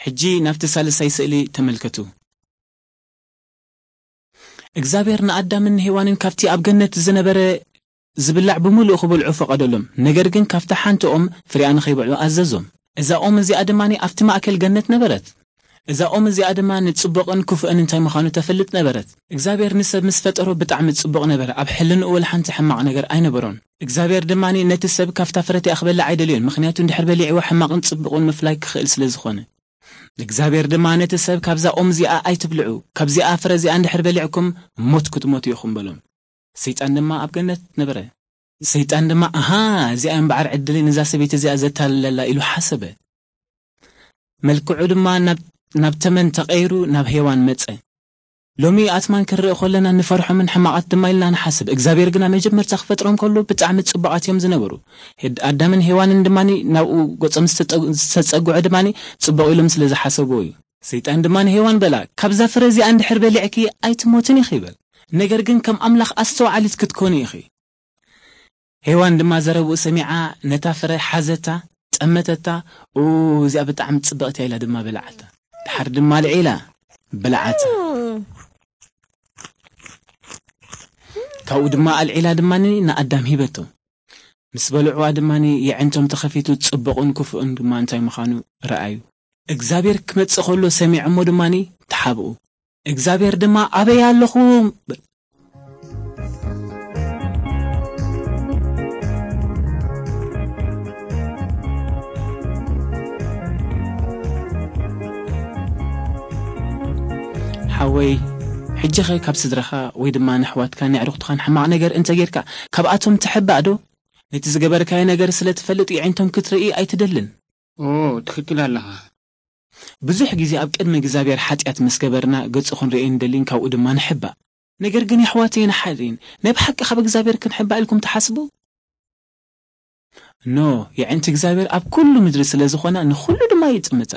ሕጂ ናብቲ ሳልሳይ ስእሊ ተመልከቱ። እግዚኣብሔር ንኣዳምን ንሄዋንን ካብቲ ኣብ ገነት ዝነበረ ዝብላዕ ብምሉእ ክበልዑ ፈቐደሎም። ነገር ግን ካብታ ሓንቲ ኦም ፍሬኣ ንኸይበልዑ ኣዘዞም። እዛ ኦም እዚኣ ድማ ኣብቲ ማእከል ገነት ነበረት። እዛ ኦም እዚኣ ድማ ንጽቡቕን ክፉእን እንታይ ምዃኑ ተፈልጥ ነበረት። እግዚኣብሔር ንሰብ ምስ ፈጠሮ ብጣዕሚ ጽቡቕ ነበረ። ኣብ ሕልንኡ ወላ ሓንቲ ሕማቕ ነገር ኣይነበሮን። እግዚኣብሔር ድማ ነቲ ሰብ ካብታ ፍረ እቲኣ ክበልዕ ኣይደልዮን፣ ምኽንያቱ እንድሕር በሊዕዎ ሕማቕን ጽቡቕን ምፍላይ ክኽእል ስለ ዝኾነ። እግዚኣብሔር ድማ ነቲ ሰብ ካብዛ ኦም እዚኣ ኣይትብልዑ፣ ካብዚኣ ፍረ እዚኣ እንድሕር በሊዕኩም ሞት ክትሞቱ ኢኹም በሎም። ሰይጣን ድማ ኣብ ገነት ነበረ። ሰይጣን ድማ ኣሃ እዚኣ እምበዓር ዕድለይ ነዛ ሰበይቲ እዚኣ ዘታልለላ ኢሉ ሓሰበ። መልክዑ ድማ ናብ ናብ ተመን ተቐይሩ ናብ ሄዋን መጸ። ሎሚ ኣትማን ክንርኢ ከለና ንፈርሖምን ሕማቓት ድማ ኢልና ንሓስብ። እግዚኣብሔር ግና መጀመርታ ክፈጥሮም ከሎ ብጣዕሚ ጽቡቓት እዮም ዝነበሩ። ሄድ- ኣዳምን ሄዋንን ድማ ናብኡ ገጾም ዝተጸ- ዝተጸግዑ ድማ ጽቡቕ ኢሎም ስለ ዝሓሰብዎ እዩ። ሰይጣን ድማ ንሄዋን በላ፣ ካብዛ ፍረ እዚኣ እንድሕር በሊዕኪ ኣይትሞትን ኢኺ ይበል። ነገር ግን ከም ኣምላኽ ኣስተውዓሊት ክትኮኒ ኢኺ። ሄዋን ድማ ዘረብኡ ሰሚዓ ነታ ፍረ ሓዘታ፣ ጠመተታ፣ ኡ እዚኣ ብጣዕሚ ጽብቕቲ እያ ኢላ ድማ በልዓታ። ድሓር ድማ ኣልዒላ በልዓታ። ካብኡ ድማ ኣልዒላ ድማ ንኣዳም ሂበቶ። ምስ በልዕዋ ድማ የዕንቶም ተኸፊቱ ጽቡቕን ክፉእን ድማ እንታይ ምዃኑ ረኣዩ። እግዚኣብሔር ክመጽእ ከሎ ሰሚዖሞ ድማ ተሓብኡ። እግዚኣብሔር ድማ ኣበይ ኣለኹም? ሓወይ፣ ሕጂኸ ካብ ስድራኻ ወይ ድማ ንኣሕዋትካን ንኣዕሩኽትኻን ሕማቕ ነገር እንተ ጌርካ፣ ካብኣቶም ትሕባእ ዶ? ነቲ ዝገበርካዮ ነገር ስለ ትፈልጥ የዒንቶም ክትርኢ ኣይትደልን። ኦ፣ ትኽክል ኣለኻ። ብዙሕ ግዜ ኣብ ቅድሚ እግዚኣብሔር ሓጢኣት ምስ ገበርና ገጹ ክንርእዮ ንደሊን ካብኡ ድማ ንሕባእ። ነገር ግን የሕዋተይን ኣሓተይን፣ ናይ ብሓቂ ካብ እግዚኣብሔር ክንሕባእ ኢልኩም ትሓስቡ? ኖ፣ የዕንቲ እግዚኣብሔር ኣብ ኩሉ ምድሪ ስለ ዝኾና ንኹሉ ድማ ይጥምታ።